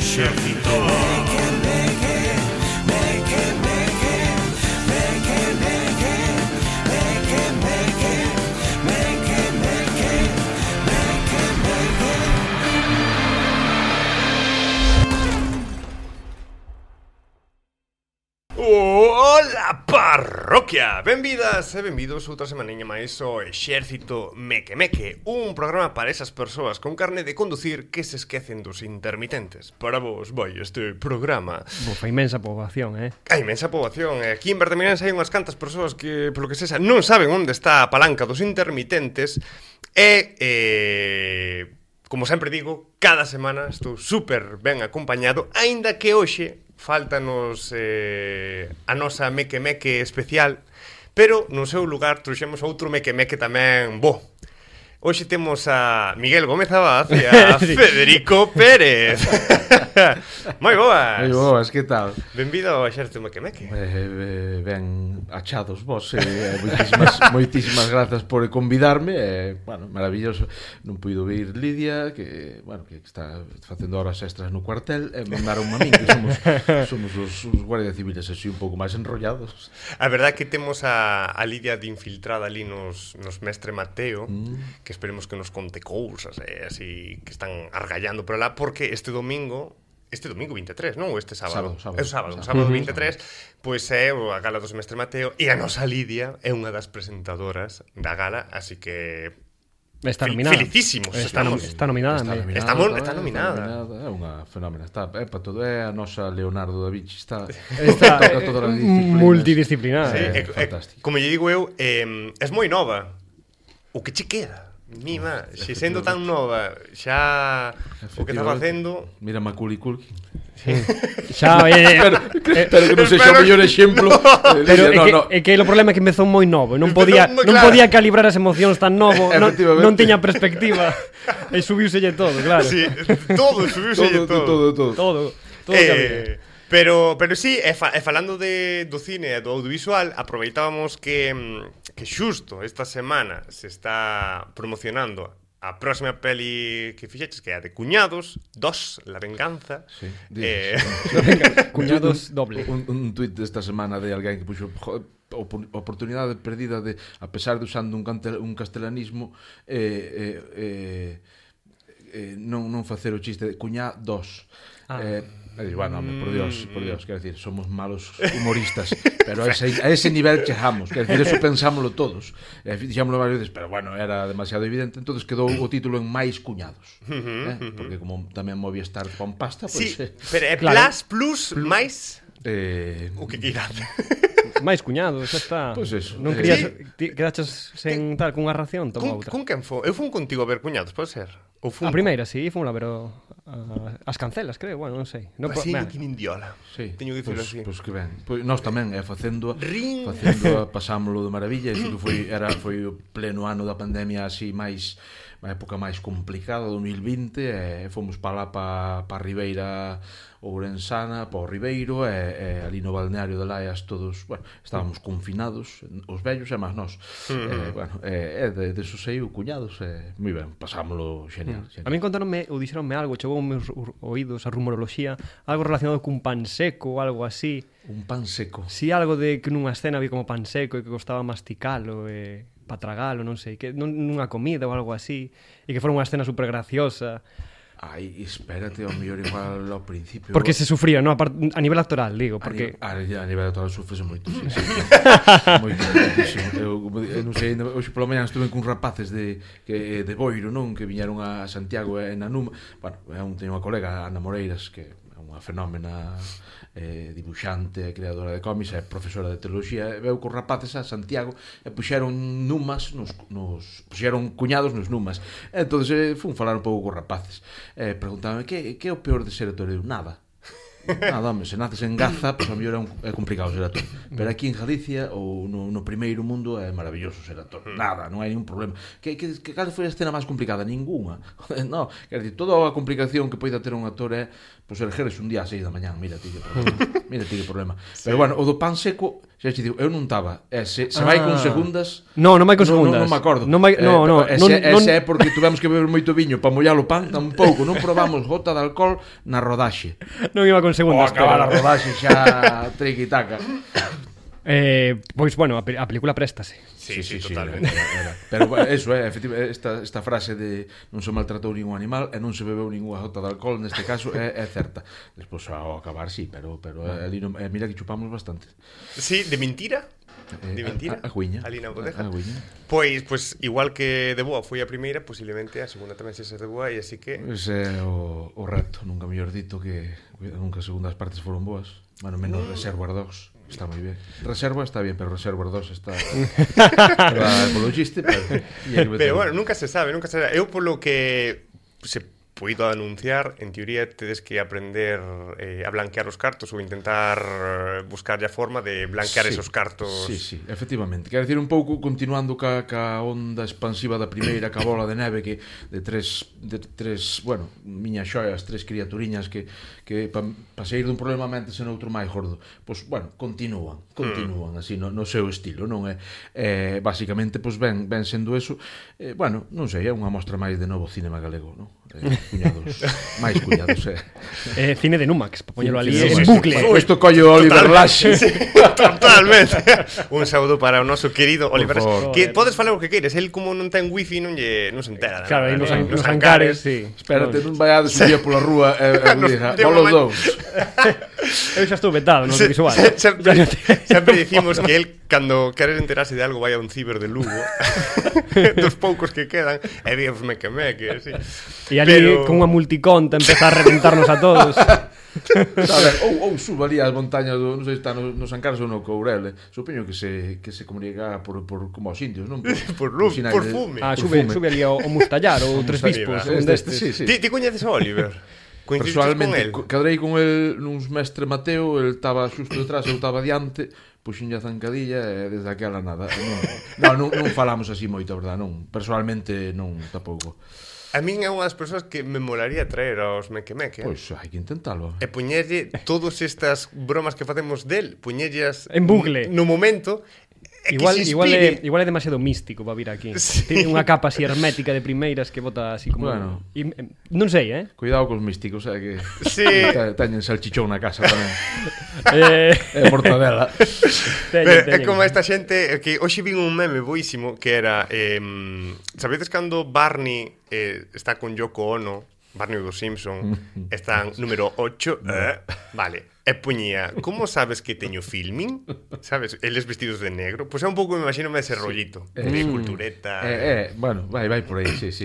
Exército. Ola parroquia! Benvidas e benvidos outra semaniña máis ao Exército Meque Meque, un programa para esas persoas con carne de conducir que se esquecen dos intermitentes. Para vos vai este programa. Bofa, inmensa poboación, A inmensa poboación. Aquí en Bertamirense hai unhas cantas persoas que, polo que sexa, non saben onde está a palanca dos intermitentes e... como sempre digo, cada semana estou super ben acompañado, aínda que hoxe faltanos a nosa Meque Meque especial, pero no seu lugar trouxemos outro Meque Meque tamén bo. Hoxe temos a Miguel Gómez Abad e a Federico Pérez. Moi boas. Moi boas, que tal? Benvido ao Exército Meque Meque. Ben achados vos, moitísimas grazas por convidarme, bueno, maravilloso. Non puido vir Lidia, que, bueno, que está facendo horas extras no cuartel, e mandaron a min, que somos os guardias civiles así un pouco máis enrollados. A verdade é que temos a Lidia de infiltrada ali nos Mestre Mateo, que esperemos que nos conte cousas, así que están argallando por lá, porque este domingo 23, non? Ou este sábado? Sábado 23, pois é a gala do Mestre Mateo, e a nosa Lidia é unha das presentadoras da gala, así que... Está nominada. Felicísimos. Está nominada. Está nominada. É unha fenómena. Está para todo. É a nosa Leonardo da Vinci. Está todas as disciplinas. Multidisciplinar. Sí, fantástico. Como lle digo eu, es moi nova. O que che queda? Mima, se sendo tan nova, xa o que está facendo... Mira Macaulay Culkin. Xa, pero que non sexa o mellor exemplo. Pero é que o problema é que empezou moi novo, non podía calibrar as emocións tan novo, non tiña perspectiva. E subiuselle todo, claro. Sí, todo subiuselle todo. Todo que había. Pero sí, falando do cine e do audiovisual, aproveitábamos que xusto esta semana se está promocionando a próxima peli que fixeches, que é a de Cuñados 2, La Venganza. Sí, Cuñados doble. Un tuit desta semana de alguén que puxo oportunidade perdida de, a pesar de usando un castelanismo, non facer o chiste de Cuñá 2. Bueno, por Dios, quero decir, somos malos humoristas, pero a ese nivel chegamos, quero decir, eso pensámoslo todos, dixámoslo varias veces, pero bueno, era demasiado evidente, entonces quedou o título en Máis Cuñados, porque como tamén Movistar con pasta, sí, pues, pero é claro. Plus, máis... o que queiras. Máis cuñados, xa está. Pois eso. Non querías quedaches sen tal cunha ración, toma outra. Con quen foi? Eu fun contigo a ver Cuñados, pode ser? A primeira, sí, fun a ver as cancelas, creo, bueno, non sei. Así que nin diola. Sí. Teño que dicirlo así. Pois que ben. Nós tamén, facendo pasámoslo de maravilla, e que foi o pleno ano da pandemia así máis a época máis complicada, 2020, e fomos para lá para a Ribeira Ourensana, para o Ribeiro, e ali no balneario de Laias todos, bueno, estábamos confinados, os vellos e máis nós. De eso saiu Cuñados, moi ben, pasámoslo genial. A mí contaronme, ou dixeronme algo, chegou aos meus oídos a rumoroloxía, algo relacionado cun pan seco ou algo así. Un pan seco? Si, algo de que nunha escena vi como pan seco e que costaba masticalo para tragalo, non sei, que nunha comida ou algo así, e que fora unha escena super graciosa. Ai, espérate, ao mellor igual ao principio. Porque se sufría, non? A nivel actoral, digo, porque... A nivel actoral sufrese moito, sí. Moitísimo. Eu non sei, hoxe pola mañá estuve con rapaces de Boiro, non? Que viñeron a Santiago e na Numa. Bueno, teño unha colega, Ana Moreiras, que é unha fenómena dibuixante e creadora de cómics, é profesora de teoloxía, e veu con rapaces a Santiago e puxeron numas puxeron cuñados nos numas. Entón fun falar un pouco con rapaces, preguntábame que é o peor de ser actor? Nada, home, se naces en Gaza, pois a mellor é complicado ser actor, pero aquí en Galicia ou no primeiro mundo é maravilloso ser actor. Nada, non hai ningún problema. Cal foi a escena máis complicada? Ninguna. No, quer dizer, toda a complicación que poida ter un actor é pois ergueres un día a 6 da mañán, mira ti que problema. Pero bueno, o do pan seco Xa te digo, eu non estaba. Se vai con segundas... Non vai con segundas. Non me acordo. Ese é porque tuvemos que beber moito viño para mollar o pan, tampouco. Non probamos gota de alcohol na rodaxe. Non iba con segundas. Acabar a rodaxe xa triqui-taca. Pois, bueno, a película préstase. Sí, totalmente. Pero eso efectivamente, esta frase de non se maltratou ningún animal e non se bebeu ninguna gota de alcohol, neste caso é certa. Despois ao acabar sí, pero ali mira que chupamos bastante. Sí, de mentira? De mentira? A cuiña. Ali na bodega. Pois igual que de boa foi a primeira, posiblemente a segunda tamén se de boa, e así que... Ese é o reto, nunca mellor dito que nunca as segundas partes foron boas. Bueno, menos Reservoir Dogs. Está moi ben. Reserva está bien, pero Reservoir 2 está... polo chiste, pero bueno, nunca se sabe. Eu polo que se poido anunciar, en teoría tedes que aprender a blanquear os cartos ou intentar buscar a forma de blanquear esos cartos. Sí, efectivamente. Quero dicir un pouco, continuando ca onda expansiva da primeira, ca bola de neve que de tres, bueno, miñas xoias, tres criaturiñas que pa sair dun problema mente sen outro máis gordo. Pois, bueno, continúan así no seu estilo, non é? Basicamente, pois ben sendo eso, bueno, non sei, é unha mostra máis de novo cinema galego, non? Máis cuñados, cine de Numax, para poñelo ali en bucle. Isto collo Oliver Laxe. Totalmente. Un saúdo para o noso querido Oliver Laxe. Que podes falar o que queires, el como non ten wifi non se entera. Claro, aí nos hangares, sí. Espérate, non vai a subir pola rúa e diga, polos dous. Eu xa estou vetado no visual. Sempre dicimos que el, cando queres enterarse de algo, vai a un ciber de Lugo, dos poucos que quedan, e víamos meque, así. E ali con unha multiconta empezar a reventarnos a todos. Ou suba ali as montañas non sei se está nos Ancares ou no Courel. Supoño que se comunica por como os indios, non? Por fume. Sube ali ao Mustallar ou Tres Bispos, un destes. Ti coñeces a Oliver? Personalmente, cadrei con el nuns mestre Mateo, el estaba xusto detrás, eu estaba diante, puxenlle a zancadilla e desde aquela nada. Non falamos así moito, a verdad, non. Personalmente non, tampouco. A min é unha das persoas que me molaría traer aos Meque. Pois hai que intentalo. E poñerlle todas estas bromas que facemos del, poñerllas en bucle no momento. Igual é demasiado místico para vir aquí. Tiene unha capa así hermética de primeiras que bota así como... Bueno. Non sei, Cuidado cos místicos, que sí. Teñen salchichón na casa tamén. E mortadela. É como esta xente que hoxe vin un meme boísimo que era sabedes cando Barney está con Yoko Ono, Barney dos Simpson, están número 8, vale. E poñía, como sabes que teño filming? Sabes, eles vestidos de negro. Pois é un pouco, me imagino, ese rollito de cultureta. Bueno, vai por aí, sí.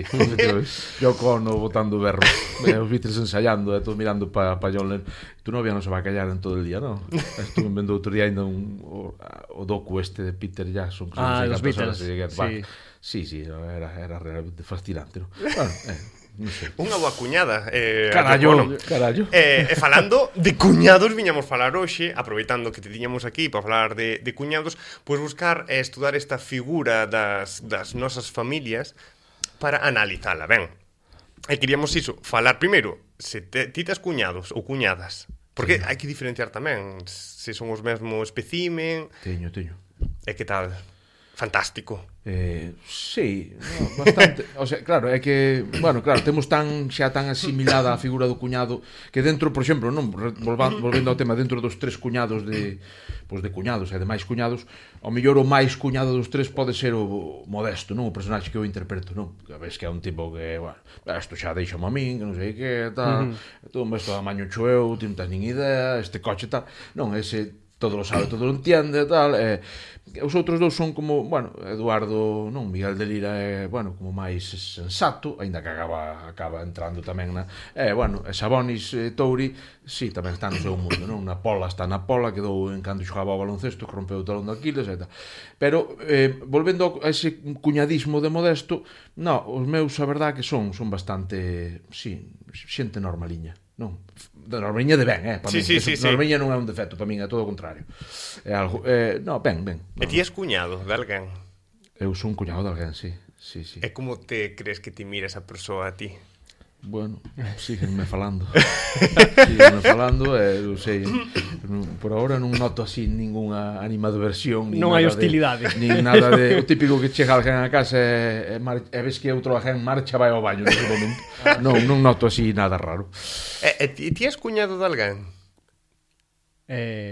Yoko Ono botando berro, os Beatles ensayando, todos mirando pa John Lennon. Tu novia non se vai callar en todo el día, non? Estuve vendo outro día ainda o docu este de Peter Jackson. Os Beatles, sí. Sí, era realmente fascinante, non? Bueno, non sei. Unha boa cuñada. Carallo. E falando de cuñados, viñamos falar hoxe, aproveitando que te tiñamos aquí para falar de cuñados, pois buscar e estudar esta figura das nosas familias para analizala, ben. E queríamos iso, falar primeiro, se ti tes cuñados ou cuñadas, porque hai que diferenciar tamén se son os mesmo especimen. Teño. E que tal? Fantástico. Sí, bastante. O sea, claro, é que, bueno, claro, temos xa tan asimilada a figura do cuñado que dentro, por exemplo, non, volvendo ao tema, dentro dos tres cuñados de cuñados e de máis cuñados, ao mellor o máis cuñado dos tres pode ser o Modesto, non? O personaxe que eu interpreto, non? A ves que é un tipo que, bueno, isto xa deixa a min, que non sei que, tal, todo isto da maño cho eu, ti non tens nin idea, este coche tal, non, ese todo lo sabe, todo lo entiende, tal, os outros dous son como, bueno, Eduardo, non, Miguel de Lira é, bueno, como máis sensato, aínda que acaba entrando tamén na, bueno, e Sabonis Touri, sí, tamén está no seu mundo, non, na Pola está na Pola, quedou en cando xogaba ao baloncesto, que rompeu o talón de Aquiles e tal, pero, volvendo a ese cuñadismo de Modesto, non, os meus, a verdade que son bastante, sí, xente normaliña, non, de normaliña de ben, para sí, min. Sí. Normaliña non é un defecto, para min é todo o contrario. É algo, no, ben. E ti és cuñado de alguén? Eu son cuñado de alguén, sí. E como te crees que te mira esa persoa a ti? Bueno, síguenme falando. Síguenme falando, non sei. Por agora non noto así ningunha animadversión, non hai hostilidade. Nin nada de o típico que chega alguén a casa e ves que outro alguén marcha vai ao baño nese momento. Non noto así nada raro. E ti és cuñado de alguén?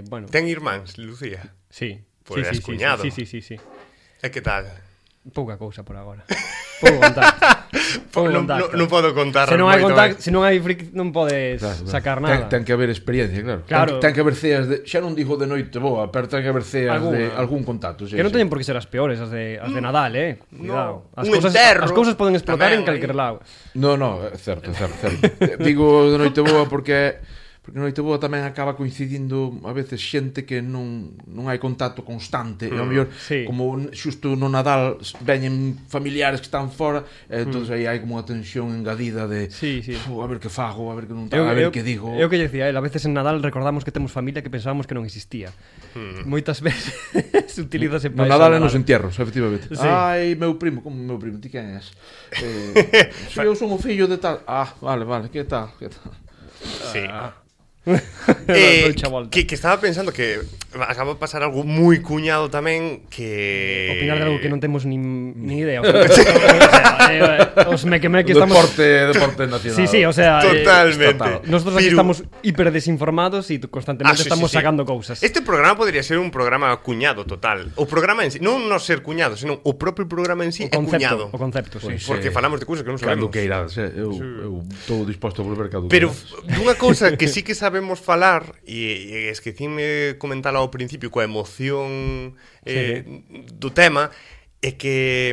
Bueno. Ten irmáns, Lucía? Sí. Pois és cuñado. Sí. E que tal? Pouca cousa por agora. Podo contar. Non podo contar. Se non hai contacto, se non hai non podes sacar nada. Ten que haber experiencia, claro. Ten que haber ceas de, xa non digo de noite boa, pero ten que haber ceas de algún contacto, que non teñen por que ser as peores, as de Nadal, cuidado. As cousas poden explotar en calquer lado. No, certo. Digo de noite boa porque Noite Boa tamén acaba coincidindo a veces xente que non hai contacto constante e ao mellor como xusto no Nadal veñen familiares que están fora e entón aí hai como unha tensión engadida de a ver que fago, a ver que non a ver que digo. É o que lle decía, a veces en Nadal recordamos que temos familia que pensábamos que non existía. Moitas veces se utiliza ese no Nadal e nos entierros, efectivamente. Ai, meu primo, como meu primo, ti quen és? Eu son o fillo de tal. Vale, que tal? Sí. Que estaba pensando que acaba de pasar algo moi cuñado tamén que... Opinar de algo que non temos ni idea. Os meque estamos... Deporte nacional. Sí, o sea... Totalmente. Nosotros aquí estamos hiperdesinformados e constantemente estamos sacando cousas. Este programa podría ser un programa cuñado total. O programa en sí, non ser cuñado, senón o propio programa en sí é cuñado. O concepto, sí. Porque falamos de cousas que non sabemos. Cando que irás, eu estou disposto a volver cando Pero dunha cousa que sí que sabemos falar e esquecíme comentalo ao principio coa emoción do tema é que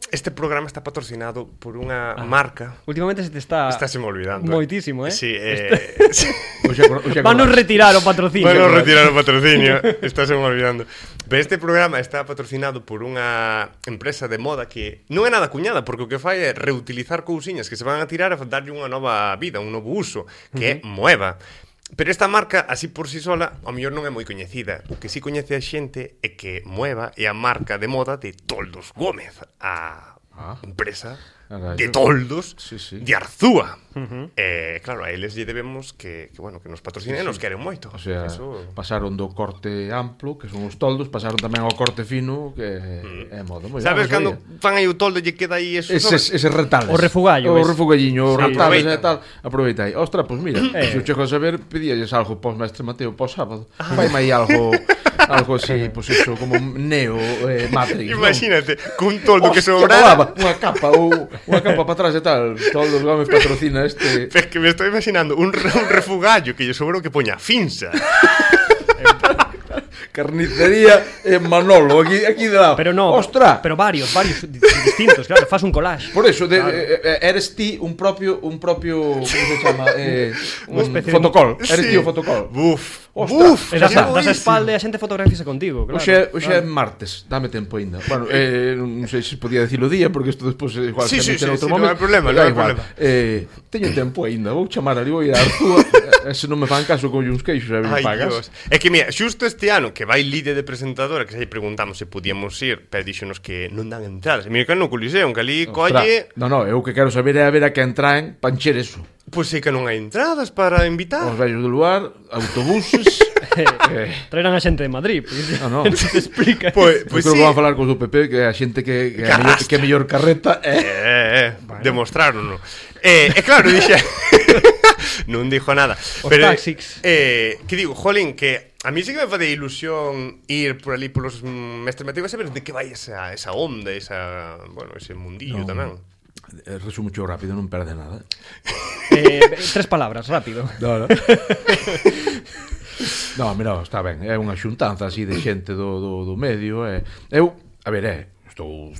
este programa está patrocinado por unha marca. Últimamente se te está me olvidando. Moitísimo, Sí, Vanos retirar o patrocinio. Estás me olvidando. Pero este programa está patrocinado por unha empresa de moda que non é nada cuñada, porque o que fai é reutilizar cousiñas que se van a tirar e darlle unha nova vida, un novo uso, que é Moeva. Pero esta marca, así por si sola, ao mellor non é moi coñecida. O que si coñece a xente é que Moeva é a marca de moda de Toldos Gómez, a empresa de toldos de Arzúa. Claro, a eles lle debemos que nos patrocinen e nos queren moito. O sea, pasaron do corte amplo, que son os toldos, pasaron tamén ao corte fino, que é moda. Sabes cando fan aí o toldo e lle queda aí ese retales. O refugallo. O refugalliño, o retales e tal. Aproveita aí. Ostras, pois mira, se o chego a saber, pedíalles algo pos mestre Mateo pos sábado. Faime aí algo así, pois iso, como Neo, Matrix. Imagínate, cun toldo que sobrara unha capa para atrás e tal. Toldos Gómez patrocina este. Es que me estou imaginando un refugallo que lle sobrou que poña Finsa. Carnicería en Manolo, aquí de lado. Pero no, ostras, pero varios distintos, claro, fas un collage. Por eso eres ti un propio, como se chama, un fotocall. Eres ti o fotocall. Buf, das a espalda e a xente fotografíase contigo, claro. Oxe é martes, dame tempo aínda. Bueno, non sei se podía dicilo día porque isto despois igual se mete en outro momento. Non hai problema, non hai problema. Teño tempo aínda, vou chamar ali, vou ir a Arzúa. Se non me fan caso con uns queixos e me pagas. É que mira, xusto este ano que vai líder de presentadora, que xa preguntamos se podíamos ir, pero díxonos que non dan entradas. Mira que no Coliseo, que ali colle... No, eu que quero saber é a ver a que entraen pa encher eso. Pois é que non hai entradas para invitar. Os vellos do lugar, autobuses... Traerán a xente de Madrid, non se explica. Pois creo que van a falar con o PP que a xente que é mellor carreta demostraron. Claro, dixe non dixo nada. Os taxis. Que digo, jolín, que a mí sí que me fade ilusión ir por ali polos mestres Mateo, saber de que vai esa onda, ese mundillo tamén. Resumo mucho rápido, non perde nada. 3 palabras, rápido. No, mira, está ben. É unha xuntanza así de xente do medio. Eu, a ver, estou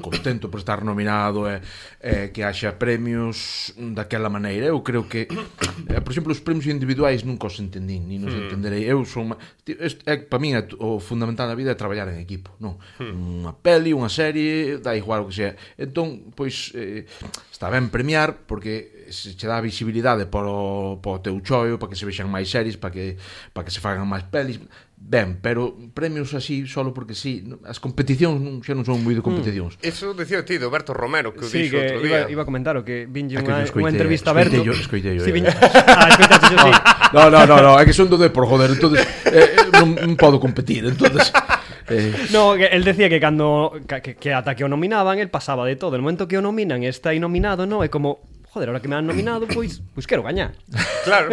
contento por estar nominado e que haxa premios daquela maneira. Eu creo que, por exemplo, os premios individuais nunca os entendín, ni nos entenderei. Eu son... Para min o fundamental na vida é traballar en equipo, non? Unha peli, unha serie, dá igual o que sea. Entón, pois, está ben premiar porque se che dá visibilidade para o teu choio, para que se vexan máis series, para que se fagan máis pelis. ben, pero premios así solo porque sí, as competicións xa non son moi de competicións. Eso decía o tío, Berto Romero, que o Sí, dixo que outro día. iba a comentar o que vinlle Que yo unha entrevista a Berto. Escoitei yo. Sí, escoitaste yo, sí. No, é que son do Depor, joder, entonces non podo competir, entonces No, que el decía que cando que ata que o nominaban, el pasaba de todo. El momento que o nominan e está aí nominado, no, é como, joder, ahora que me han nominado, pois quero gañar. Claro.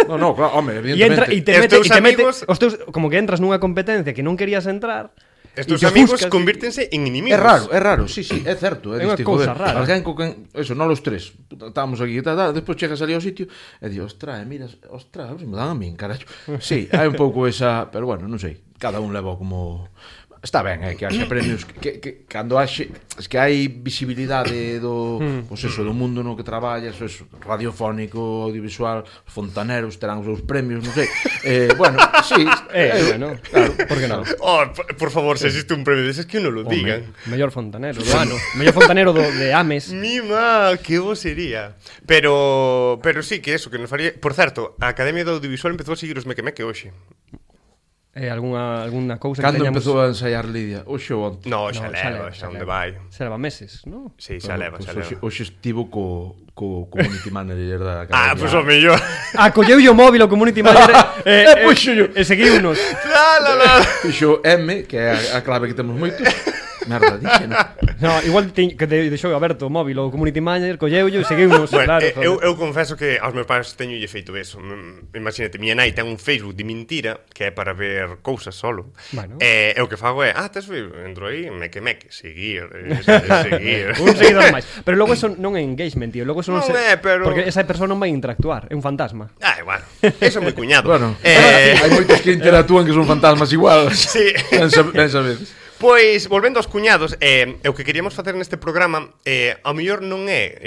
No, claro, home, E entra evidentemente. e te mete amigos- os teus, como que entras nunha competencia que non querías entrar. Estos e te amigos ofuscas, convírtense en inimigos. É raro, sí, é certo. É unha diste, cousa joder, rara. Alguén co quen, eso, non los tres. Estábamos aquí, despois chegas ali ao sitio e di, ostras, miras, ostras, me dan a min, caracho. Sí, hai un pouco esa, pero bueno, non sei. Cada un leva como... Está ben, que haxe premios que cando haxe, es que hai visibilidade do, pois eso, do mundo no que traballas, eso, radiofónico, audiovisual, fontaneros terán os seus premios, non sei. Bueno, sí, bueno, claro, por que non? Oh, por favor, se existe un premio deses que non lo digan. Mellor fontanero do ano. Mellor fontanero de Ames. Mima, que vos sería. Pero sí que eso, que nos faría... Por certo, a Academia do Audiovisual empezou a seguir os meque hoxe. Alguna cousa Cando que teñamos... empezou a ensaiar Lidia? Oxe ou onte? No, xa leva, xa onde vai. Xa leva meses, non? Sí, xa leva, xa leva. Hoxe estivo co community manager da Academia. Pois o mellor. Colleu o móvil o community manager puxo yo. e seguiunos. La. Fixo M, que é a clave que temos moitos. Merda, dixen. No, igual que deixou aberto o móvil o community manager, colleulle e seguiunos, Bueno, claro. eu confeso que aos meus pais teñolle feito eso. Imagínate, miña nai ten un Facebook de mentira que é para ver cousas solo. Bueno. E o que fago é, tes Facebook, entro aí, meque, seguir, seguir. Un seguidor máis. Pero logo eso non é engagement, tío. Logo eso non Non é, pero- Porque esa persoa non vai interactuar, é un fantasma. Bueno, eso é moi cuñado. Bueno, hai moitos que interactúan que son fantasmas igual. Sí. Ben sabedes. Pois, volvendo aos cuñados, o que queríamos facer neste programa ao mellor non é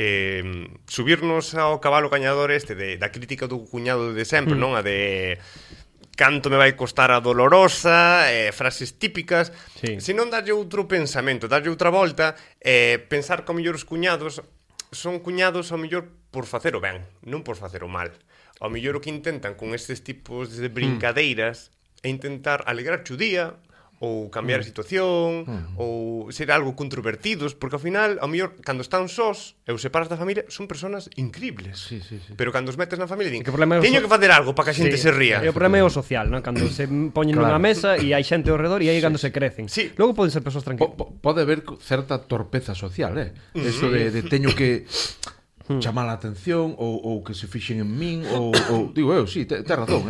subirnos ao cabalo gañador da crítica do cuñado de sempre, non? A de canto me vai costar a dolorosa, frases típicas, Sí. senón darlle outro pensamento, darlle outra volta, pensar que ao mellor os cuñados son cuñados ao mellor por facer o ben, non por facer o mal. Ao mellor o que intentan con estes tipos de brincadeiras é intentar alegrarche o día, ou cambiar a situación, ou ser algo controvertidos, porque ao final, ao mellor, cando están sós e os separas da familia, son personas increíbles. Sí. Pero cando os metes na familia, din, Que o problema é o teño que facer algo para que a xente se ría. E o problema é o social, non? Cando se poñen nunha mesa e hai xente ao redor e aí cando se crecen. Sí. Logo poden ser persoas tranquilas. Pode haber certa torpeza social, Eso de teño que chamar a atención ou que se fixen en min ou digo eu, sí, tes razón,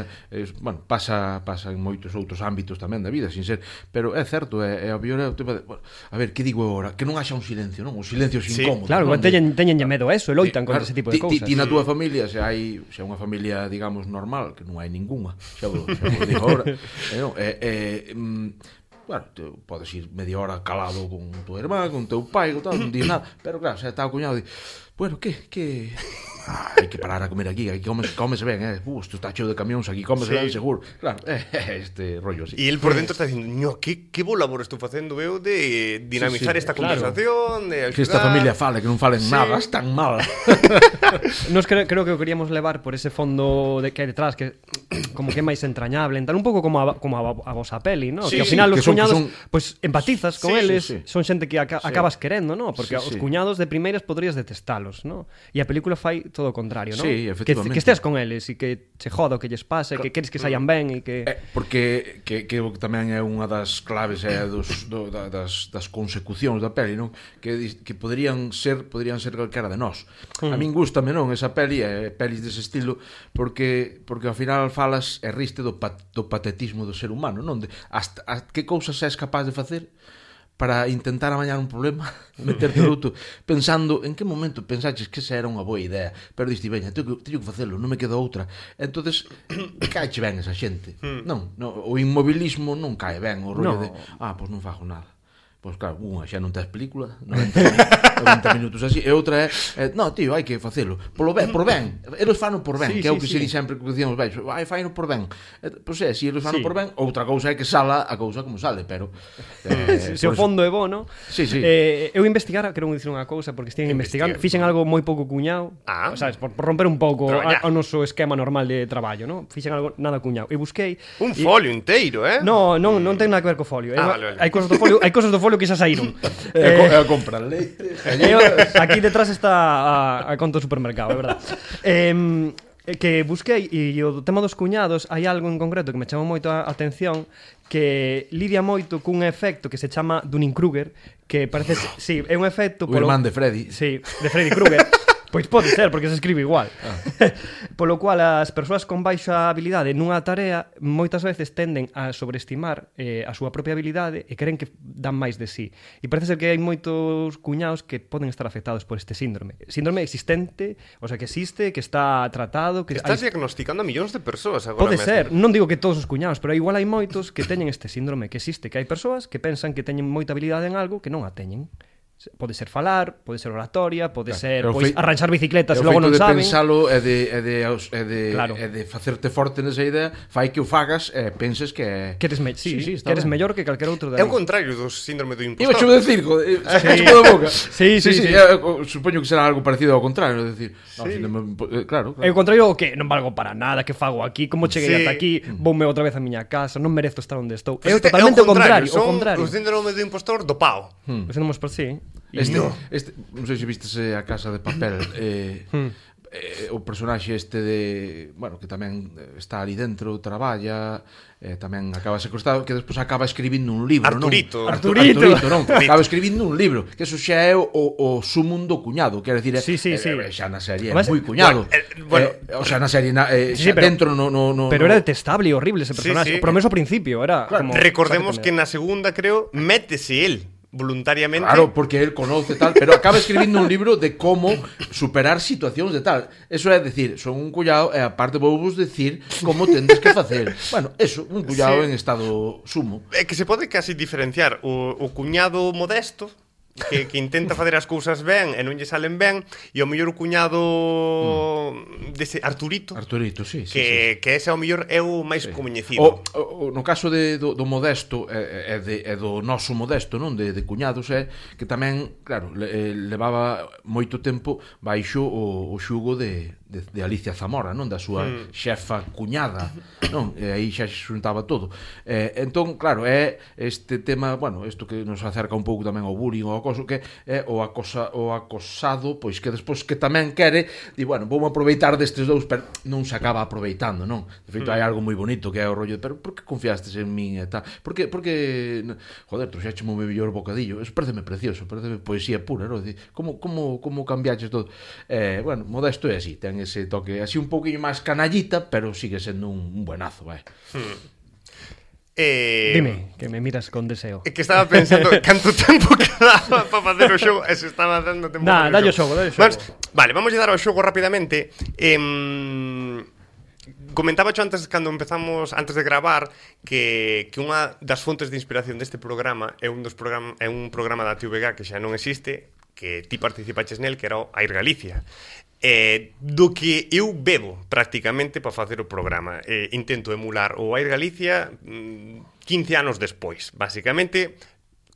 bueno, pasa en moitos outros ámbitos tamén da vida, sin ser, pero é certo, é obvio, a ver, que digo agora, que non haxa un silencio, non? O silencio Sí, incómodo. Claro, non? teñenlle medo a eso, e loitan contra Claro, ese tipo de cousas. Ti na túa familia, se hai unha familia, digamos, normal, que non hai ningunha, xa vos digo agora, bueno, podes ir media hora calado con tu irmán, con teu pai, con tal, non dis nada, pero claro, se está o cuñado, di, bueno, que hai que parar a comer aquí comes ben, isto está cheo de camións aquí, comes ben seguro, claro, este rollo así. E el por dentro está dicindo, que bo labor estou facendo eu de dinamizar esta claro. conversación, de Que esta axudar. familia fale, que non falen nada, están mal. Nos creo que o queríamos levar por ese fondo de que hai detrás, que como que é máis entrañable, tal un pouco como a vosa peli, ¿no? Sí, que ao final que os son- cuñados, que son- pues empatizas con Sí, eles, sí. son xente que acabas querendo, ¿no? Porque Sí, os sí. cuñados de primeiras podrías detestalos, ¿no? E a película fai todo o contrario, ¿no? Sí, efectivamente. Que esteas con eles e que che joda o que lles pase, que queres que saian ben e que... Porque que tamén é unha das claves das consecucións da peli, non? Que podrían ser calquera de nós. A min gústame, non, esa peli, pelis dese estilo, porque ao final falas e riste do patetismo do ser humano, non? Hasta que cousas és capaz de facer para intentar amañar un problema, meterte luto, pensando en que momento pensaches que esa era unha boa idea, pero diste, veña, teño que facelo, non me queda outra. Entonces, caeche ben esa xente. Non, o inmobilismo non cae ben, o rollo de, pois non fago nada. Pois claro, unha xa non tes película, 90 minutos así, e outra é, no, tío, hai que facelo, por ben, eles fano por ben, que é o que se di sempre que dicíamos, vai, faino por ben. Pois é, se eles fano por ben, outra cousa é que sala a cousa como sale, pero se o fondo é bo, non? Sí. Eu investigara, quero dicir unha cousa, porque estive investigando, fixen algo moi pouco cuñado, sabes, por romper un pouco o noso esquema normal de traballo, non? Fixen algo nada cuñado. E busquei un folio inteiro, Non ten nada que ver co folio. Vale. Hai cosas do folio que xa saíron. A comprar leite. Aquí detrás está a conta do supermercado, é verdad. Que busquei, e o tema dos cuñados, hai algo en concreto que me chamou moito a atención, que lidia moito cun efecto que se chama Dunning-Kruger, que parece, sí, é un efecto o irmán de Freddy. Sí, de Freddy Krueger. Pois pode ser, porque se escribe igual. Polo cual, as persoas con baixa habilidade nunha tarea moitas veces tenden a sobreestimar a súa propia habilidade e creen que dan máis de sí. E parece ser que hai moitos cuñados que poden estar afectados por este síndrome. Síndrome existente, o sea, que existe, que está tratado... que estás diagnosticando a millóns de persoas agora pode mesmo. ser, non digo que todos os cuñados, pero igual hai moitos que teñen este síndrome, que existe, que hai persoas que pensan que teñen moita habilidade en algo que non a teñen. Pode ser falar, pode ser oratoria, pode ser arranxar bicicletas e logo non saben. O feito de pensalo e de facerte forte nesa idea fai que o fagas e penses que eres mellor que calquer outro de aí. É o contrario do síndrome do impostor. Iba a decir, sacaste da boca. Sí. Supoño que será algo parecido ao contrario, decir, claro. É o contrario o que non valgo para nada, que fago aquí, como cheguei ata aquí, voume outra vez a miña casa, non merezo estar onde estou. É totalmente o contrario, o síndrome do impostor do pao. O síndrome por sí. Non sei se vistes a Casa de Papel, o personaxe este de, bueno, que tamén está ali dentro, traballa, tamén acaba secuestrado, que despois acaba escribindo un libro, Arturito, non? Acaba escribindo un libro, que eso xa é o sumum do cuñado, quer decir, xa na serie é moi cuñado. O sea, na serie dentro no pero era detestable e horrible ese personaxe, por lo menos ao principio era como... Recordemos que na segunda, creo, métese el voluntariamente. Claro, porque él conoce tal, pero acaba escribindo un libro de como superar situacións de tal. Eso é decir, son un cullado e aparte vou vos decir como tendes que facer. Bueno, eso, un cullado en estado sumo. É que se pode casi diferenciar o cuñado modesto que intenta facer as cousas ben e non lle salen ben, e o mellor cuñado dese Arturito, sí. Que ese ao mellor é o máis coñecido. No caso do modesto e do noso modesto, non, de cuñados, é que tamén, claro, levaba moito tempo baixo o xugo de Alicia Zamora, non, da súa xefa cuñada, non, e aí xa se xuntaba todo. Entón, claro, é este tema, bueno, isto que nos acerca un pouco tamén ao bullying, ao acoso, que é o acosado, pois que despois que tamén quere, di, bueno, vou aproveitar destes dous, pero non se acaba aproveitando, non? De feito, hai algo moi bonito que é o rollo de, pero por que confiastes en min e tal? Porque joder, trouxécheme o meu mellor bocadillo, eso pareceme precioso, pareceme poesía pura, non? Como cambiaches todo? Bueno, Modesto é así, ten ese toque así un pouquinho máis canallita, pero sigue sendo un buenazo, vai. Dime, que me miras con deseo. Que estaba pensando canto tempo quedaba para facer o xogo e se estaba dando tempo. Dalle o xogo. Vale, vamos a dar ao xogo rapidamente. Comentaba xo antes, cando empezamos, antes de gravar, que unha das fontes de inspiración deste programa é un programa da TVG que xa non existe, que ti participaches nel, que era o Air Galicia. Do que eu bebo prácticamente para facer o programa. Intento emular o Air Galicia 15 anos despois, basicamente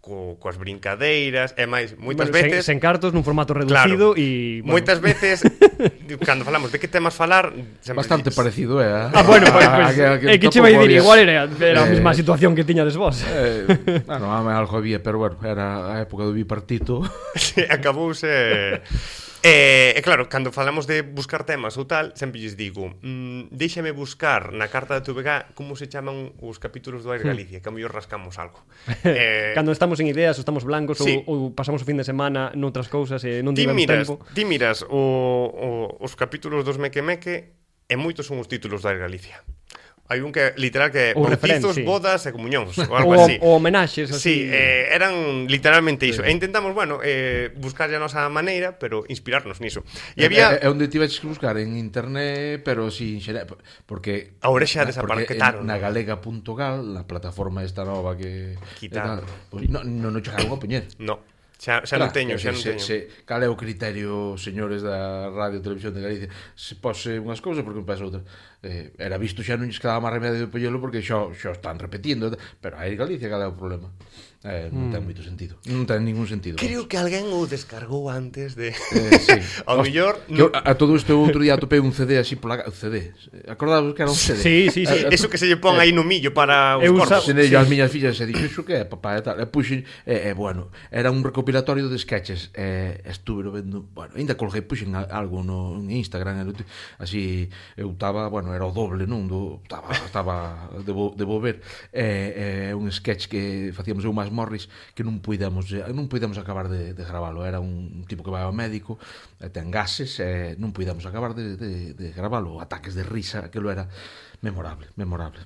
coas brincadeiras e máis, moitas veces sen cartos nun formato reducido, e moitas veces cando falamos de que temas falar bastante parecido, bueno, que che vai dir, igual era a mesma situación que tiñades vos. Bueno, algo había, pero bueno, era a época do bipartito. Acabouse. E claro, cando falamos de buscar temas ou tal, sempre lles digo, déixame buscar na carta da TVG como se chaman os capítulos do Air Galicia, que a mellor rascamos algo. Cando estamos en ideas, ou estamos blancos, ou pasamos o fin de semana noutras cousas e non tivemos tempo. Ti miras os capítulos dos Meque Meque e moitos son os títulos do Air Galicia. Hai un que literal que Ou bautizos, referencia. bodas e comunións, ou algo así. Ou homenaxes Sí, así. eran literalmente iso. E intentamos, bueno, buscar a nosa maneira, pero inspirarnos niso. E había... É onde tiveches que buscar en internet, pero sin xerar, porque Ahora xa porque desaparquetaron. na galega.gal, na plataforma esta nova que Quitaron. Pues, non chegaron a poñer. No, xa non teño, xa non teño. Cal é o criterio, señores da Radio e Televisión de Galicia? Se pose unhas cousas, porque pasa outra. Era visto, xa non lles quedaba máis remedio de poñelo, porque xa están repetindo. Pero aí Galicia, cal é o problema? Non ten moito sentido. Non ten ningún sentido. Creo que alguén o descargou antes de... Sí. Ao mellor... A todo isto outro día atopei un CD así pola... CD. Acordabas que era un CD? Sí, sí, sí. Eso que se lle pon aí no millo para os Eu corpos. Senei as miñas fillas e dixo, iso que é, papá, e tal. E puxen, bueno, era un recopilatorio de sketches. Estuve vendo, bueno, ainda colguei, puxen algo no Instagram, así, eu estaba, bueno, era o doble, non? Estaba debo ver. Un sketch que facíamos eu máis Morris, que non puidemos acabar de gravalo. Era un tipo que vai ao médico, ten gases, non puidemos acabar de gravalo. Ataques de risa, aquilo era memorable.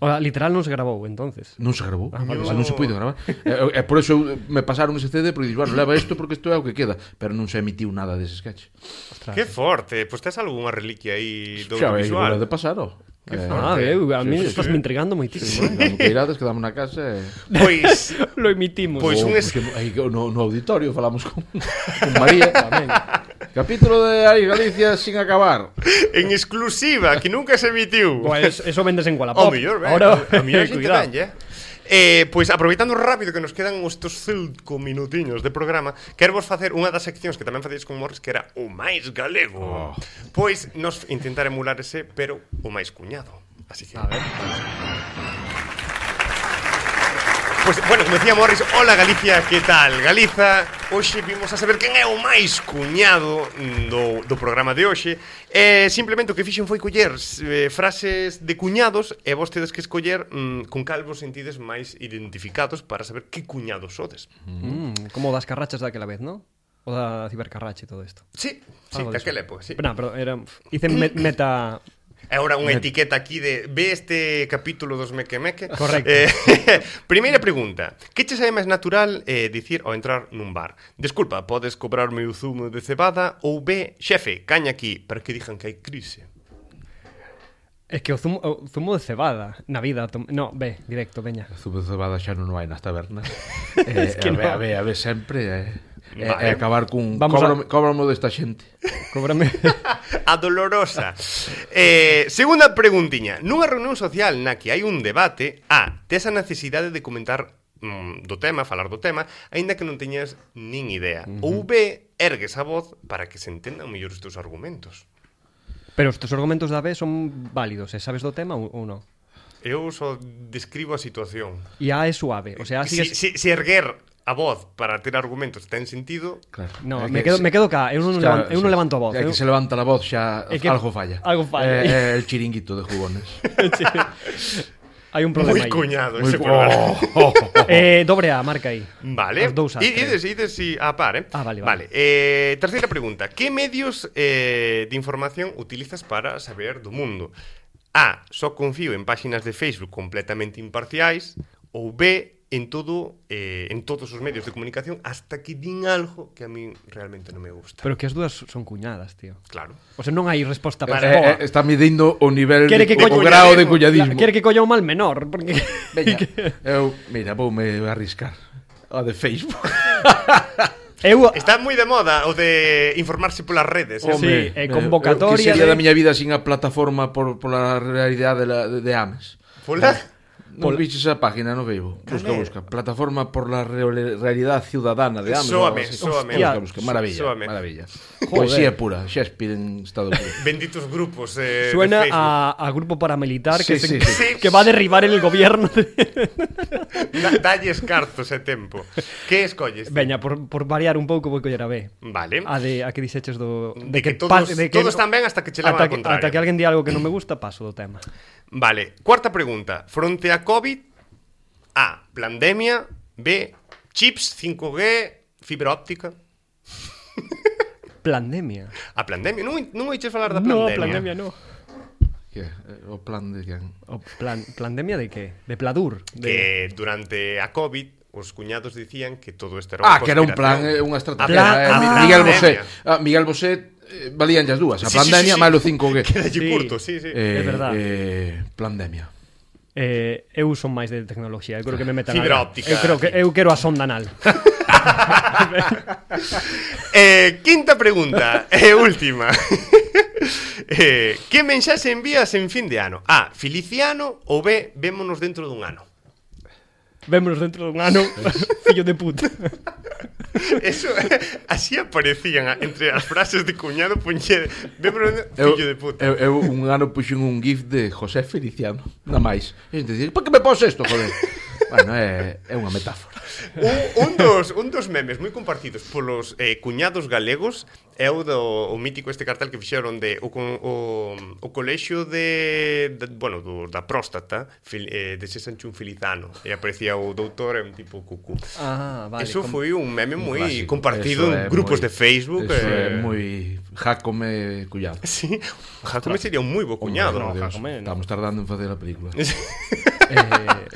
O literal non se grabou, entonces. Non se gravou, vale. non se puido gravar. E por eso me pasaron ese CD, porque dixo, bueno, leva isto porque isto é o que queda, pero non se emitiu nada dese sketch. Ostras. Que forte, pois tes algunha reliquia aí do Xa visual. de pasar, ó. A mí sí, estás me intrigando moitísimo. Cando que irades, quedamos na casa e... Pois, Lo emitimos. Pois un aí no auditorio falamos con María tamén. Capítulo de Aí Galicia sin acabar. en exclusiva, que nunca se emitiu. Pues eso vendes en O Wallapop. mellor, ben, Ahora, a mellor a xente cuidado. ben, pois aproveitando rápido que nos quedan estos 5 minutiños de programa, quero vos facer unha das seccións que tamén facíais con Morris, que era o máis galego. Pois nos intentar emular ese, pero o máis cuñado. Así que A ver. Pois, bueno, como decía Morris, hola Galicia, que tal? Galiza, hoxe vimos a saber quen é o máis cuñado do programa de hoxe. Simplemente o que fixen foi coller frases de cuñados e vos tedes que escoller con cal vos sentides máis identificados para saber que cuñados sodes. Como das carrachas daquela vez, ¿no? O da cibercarrache e todo isto. Sí, Algo de daquela época, sí. Pero era... Hice meta... E agora unha etiqueta aquí de ve este capítulo dos Meque Meque. Correcto. Primeira pregunta. Que che sae máis natural dicir ao entrar nun bar? Desculpa, podes cobrarme o zumo de cebada? Ou B, xefe, caña aquí, para que digan que hai crise. É que o zumo de cebada na vida... No, ve, directo, veña. Zumo de cebada xa non hai nas tabernas. que no. A ver sempre... Vale. acabar cun... Vamos Cóbrame desta xente. Cóbrame... A dolorosa. Segunda preguntiña. Nunha reunión social na que hai un debate, tes a necesidade de comentar do tema, falar do tema, aínda que non teñas nin idea. Ou B, ergues a voz para que se entendan mellor os teus argumentos. Pero os teus argumentos da vez son válidos, sabes do tema ou non? Eu só describo a situación. E A é suave, o sea, sigues... Si erguer a voz para ter argumentos ten sentido. Claro. No, me quedo cá, eu non levanto a voz. É que se levanta a voz xa que algo falla. Algo falla. É el chiringuito de jugones. Hai un problema Moi aí. cuñado ese programa. Dobre A, marca aí. Vale. As dous As, Ides a par, vale. Terceira pregunta. Que medios de información utilizas para saber do mundo? A. Só confío en páxinas de Facebook completamente imparciais. Ou B. En todos os medios de comunicación hasta que din algo que a mí realmente non me gusta. Pero que as dúas son cuñadas, tío. Claro. O sea, non hai resposta para boa. Está midindo o nivel o cuñadismo. grao de cuñadismo. Quere que colla un mal menor, porque... Veña, mira, voume arriscar. A de Facebook. Está moi de moda o de informarse polas redes. Sí, convocatoria que sería de... da miña vida sin a plataforma pola realidade de Ames. Pola? Non viches a página no Weibo. Busca. Plataforma por la realidad ciudadana de Ames. Sóame. Busca. Maravilla. Joder. Poesía pura. Shakespeare en estado puro. Benditos grupos Suena de Facebook. a grupo paramilitar Sí, sí. que va a derribar el gobierno. Dalles cartos e tempo. Que escolles? Veña, por variar un pouco vou coller a B. Vale. A que dixeches do... De que todos están ben hasta que che levan a contrario. Ata que alguén di algo que non me gusta, paso do tema. Vale, cuarta pregunta. Fronte a COVID, A. Pandemia. B. Chips, 5G, fibra óptica. Pandemia. A pandemia? Non oiches falar da No, pandemia? pandemia no. Que o plan de quen? O plandemia de que? De Pladur? Que durante a COVID os cuñados dicían que todo isto era unha Que era un plan, conspiración. unha estrategia. Miguel Bosé. Miguel Bosé valían as dúas. A pandemia, máis o 5G. Quedalle Sí. curto, sí. É verdad. Pandemia. Eu son máis de tecnoloxía. Eu creo que me metan Fibra algo. óptica. Eu quero a sonda anal. Quinta pregunta e última. Que mensaxe envías en fin de ano? A. Feliciano ou B. Vémonos dentro dun ano? Vémonos dentro dun ano. Fillo de puta. Eso, así aparecían entre as frases de cuñado puñe, vémonos fillo de puta. Eu un ano puxen un gif de José Feliciano. Nada máis. E a xente dice, por que me pos isto, joder? Bueno, é unha metáfora. Un dos memes moi compartidos polos cuñados galegos é o mítico este cartel que fixeron de o colexio da próstata de Sancho un Filizano e aparecía o doutor e un tipo cucú. Vale. Eso foi un meme moi clásico. compartido en grupos de Facebook. Eso é moi Jacome cuñado. Sí, Jacome sería un moi bo cuñado. no, Dios, Jacome, no. estamos tardando en facer a película.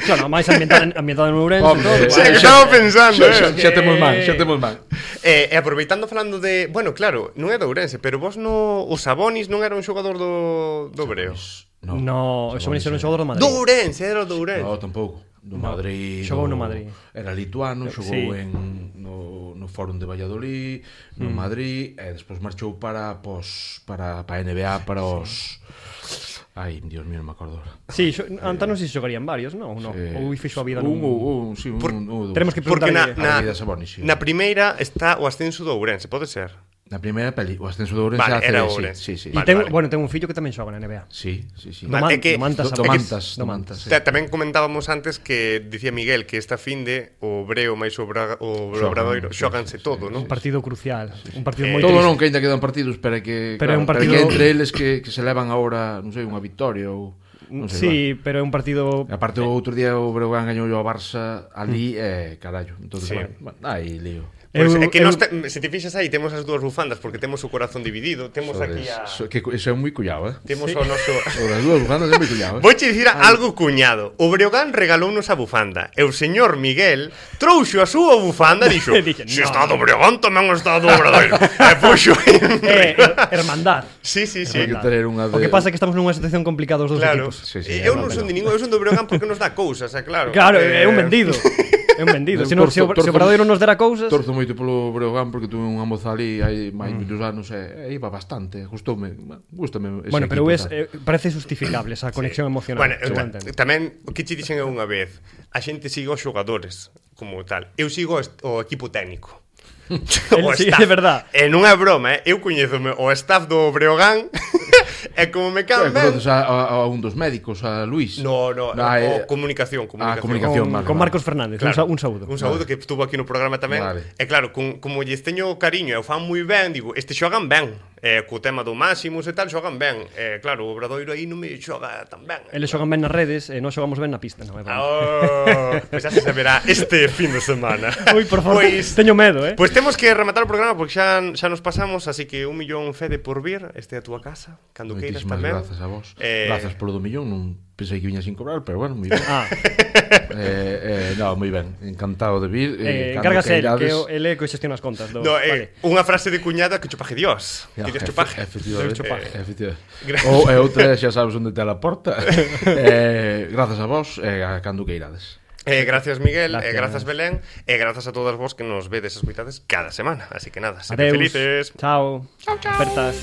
Claro, máis ambientada en Ourense. Hombre, todo. Sí, que estaba pensando, Xa temos mal. E aproveitando falando de... Bueno, claro, non é do Ourense, pero vos o Sabonis non era un xogador do Breo. No, eso venía ser un xogador do Madrid. Do Ourense, era do Ourense. No, tampouco. Do Madrid. Xogou no Madrid. Era lituano, xogou Sí. no Fórum de Valladolid, no Madrid, e despois marchou para a NBA, para os... Ai, Dios mío, non me acordo. Sí, antes non sei se xogarían varios, non? Ou fixo a vida nun... Sí, Tenemos que Porque preguntarle... a vida Sabonis, sí. na primeira está o ascenso do Ourense, pode ser? Na primeira peli, o ascenso do Ourense Vale, era sí, Ourense. sí. E Vale. bueno, ten un fillo que tamén xoga na NBA. Sí. Vale, é que- Do Mantas, sí. Tamén comentábamos antes que dicía Miguel que esta finde o Breo máis o Obradoiro xoganse todo, non? Un partido crucial, un partido moi Todo triste. non, que ainda quedan partidos, pero que Pero é un partido- que entre eles que se levan agora, non sei, unha victoria ou non sei. Sí, pero é un partido... Va. Aparte o outro día o Breogán gañou ao Barça ali carallo. Entonces, Sí. bueno, aí lío. Pois Eu- é que eu- se te fixas aí temos as dúas bufandas porque temos o corazón dividido, temos aquí a... Que eso é moi cullado, Temos o noso... O das dúas bufandas é moi cullado, Vouche dicir algo cuñado. O Breogán regalounos a bufanda e o señor Miguel trouxo a súa bufanda e dixo Dixen, se "No, está do Breogán tamén está do Obradoiro. E puxo hermandad. Sí. Hai que ter unha O que pasa é que estamos nunha situación complicada os dos Claro. equipos. Sí, Eu non son de ningún, eu son do Breogán porque nos dá cousas, é claro. Claro, é un vendido. É un vendido. Se o Obradoiro nos dera cousas... Torzo moito polo Breogán porque tuve unha moza ali hai máis moitos anos e iba bastante, gustoume, gústame ese Bueno, pero equipo, tal. parece justificable esa conexión emocional. Bueno, seguro entendo. tamén o que che dixen eu unha vez, a xente sigue os xogadores como tal. Eu sigo o equipo técnico. Sí, é verdad. E non é broma, eu coñézome o staff do Breogán e como me caen ben. Conoces a un dos médicos, a Luís? No, o comunicación. comunicación. Con Marcos Fernández, Claro, un saúdo. Un saúdo que estuvo aquí no programa tamén. Vale. E claro, como lles teño cariño e o fan moi ben, digo, este xogan ben. Co tema do Máximos e tal, xogan ben. Claro, o Obradoiro aí non me xoga tan ben. Eles xogan ben nas redes e nós xogamos ben na pista, non é broma. Pois xa se saberá este fin de semana. Ui, por favor, Pois teño medo, Pois temos que rematar o programa porque xa nos pasamos, así que 1 millón Fede por vir, este a túa casa, cando queiras Moitísimas tamén. grazas a vos. Grazas polo do millón, non pensei que viña sin cobrar, pero bueno, moi ben. No, moi ben, encantado de vir. Encárgase el, que el eco xestiona as contas. Vale. Unha frase de cuñada que chupaje Dios. Que Dios chupaje. Efectivamente. E outra, xa sabes onde te a porta. Grazas a vos e a cando que irades. Gracias Miguel, grazas Belén e grazas a todas vos que nos vedes e escuitades cada semana. Así que nada, sede Adeus. felices. Chao. Chao. Apertas.